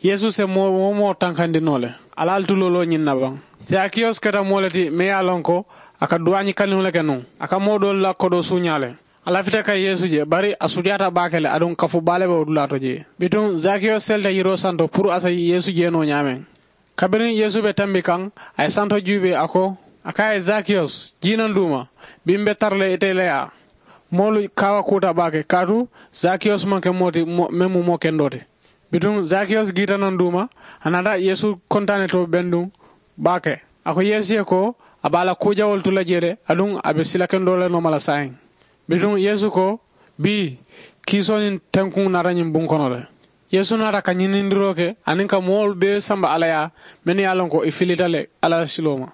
yesu se mo tankandinole alal tulolo nyinna ban Zacchaeus kata molati me yalonko aka duwani kanule kenu aka modol la kodo sunyale ala fita kay yesu je bari asudiyata bakele adon kafu bale be odulato je bitum Zacchaeus selda yiro santo pour asa yesu je no nyamen kabirin yesu be tambi kan ay santo jube ako aka Zacchaeus jinanduma bimbe tarle eteleya molu kawa kuta bake kadu Zacchaeus manke moti memu mo kendote bitum Zacchaeus gita nanduma anada yesu kontane to bendum bake ako yesu ko abala kujawol tula jere adun abe sila kendole no mala sain bitum yesu ko bi kisonin tankun naranyim bunkonole yesu nara kanyinindiroke aninka mol be samba alaya men yalon ko ifilitale ala siloma